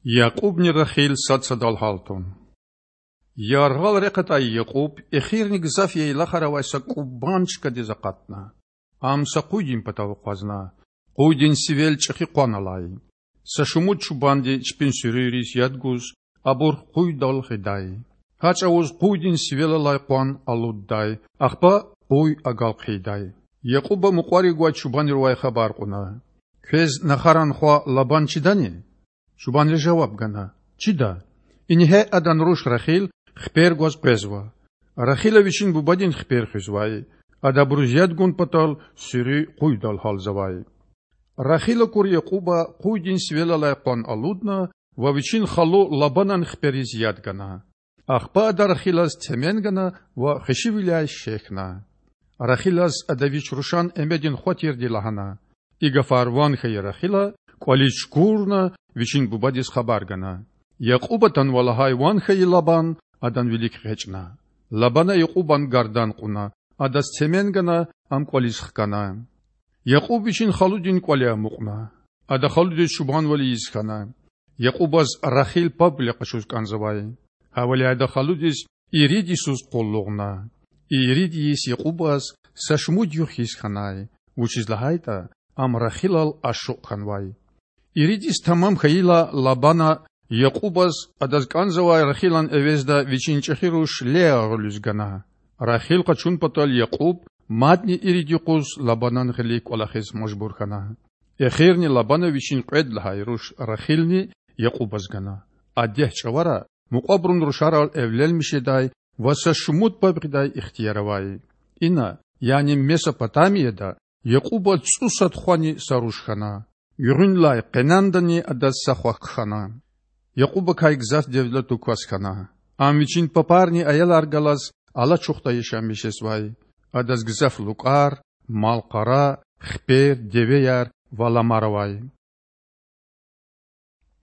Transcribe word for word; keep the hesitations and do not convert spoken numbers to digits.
Якьубни Рахил сад садал гьалтун. Яргъал рехъ атай Якьуб эхирни гзаф яйлахар авай са кӀубан чкадиз акъатна. Ам са къуйдин патав акъвазна. Къуйдин сивел чӀехи къван алай. Са шумуд чубанди чпин суьруьйриз яд гуз, абур къуйдал гъидай. Гьа чӀавуз къуйдин сивел алай къван алуддай, ахпа къуй агал хъийидай. Якьуба мукьварив гвай чубанривай хабар кьуна: Квез нахаран хва Лабан чидани? Чубанри жаваб гана: Чида. Ингье адан руш Рахил хипер гваз къвезва. Рахила вичин бубадин хипер хуьзвай. Ада абуруз яд гун патал суьруь къуйдал гьалзавай. Рахил акур Якьуба къуйдин сивел алай къван алудна ва вичин халу Лабанан хипериз яд гана. Ахпа ада Рахилаз темен гана ва хвешивиляй шехьна. Рахилаз ада вич рушан эмедин хва тирди лагьана. И гафар ван хьайи Рахила кӀвализ чукурна вичин бубадиз хабар гана. Якьуб атанва лагьай ван хьайи Лабан адан вилик экъечӀна. Лабана Якьубан гардан кьуна, адаз темен гана, ам кӀвализ хкана. Якьуб вичин халудин кӀвале амукьна. Ада халудиз чубанвал ийиз хьана. Якьубаз Рахил пабвиле къачуз кӀанзавай. Гьавиляй ада халудиз ирид йисуз къуллугъна. И ирид йис Якьубаз са шумуд югъ хьиз хьанай, вучиз лагьайтӀа ам Рахилал ашукь хьанвай. Ирид йис тамам хьайила, Лабана Якьубаз адаз кӀанзавай Рахилан эвезда вичин чӀехи руш Леа гъуьлуьз гана. Рахил къачун патал Якьуб мадни ирид юкъуз Лабанан гъилик кӀвалахиз мажбур хьана. Эхирни Лабана вичин кьвед лагьай руш Рахилни Якьубаз гана. А дегь чӀавара мукьвабурун рушарал эвленмиш жедай ва са шумуд паб гъидай ихтияр авай. Ина, яни Месопотамияда, Якьубаз цӀусад хвани са руш хьана. Гуьгъуьнлай Къенандани адаз са хва хъхьана. Якьубакай гзаф девлетлу кас хьана. Ам вичин папарни аялар галаз алачухда яшамиш жезвай. Адаз гзаф лукӀар, мал-къара, хипер, девеяр ва ламар авай.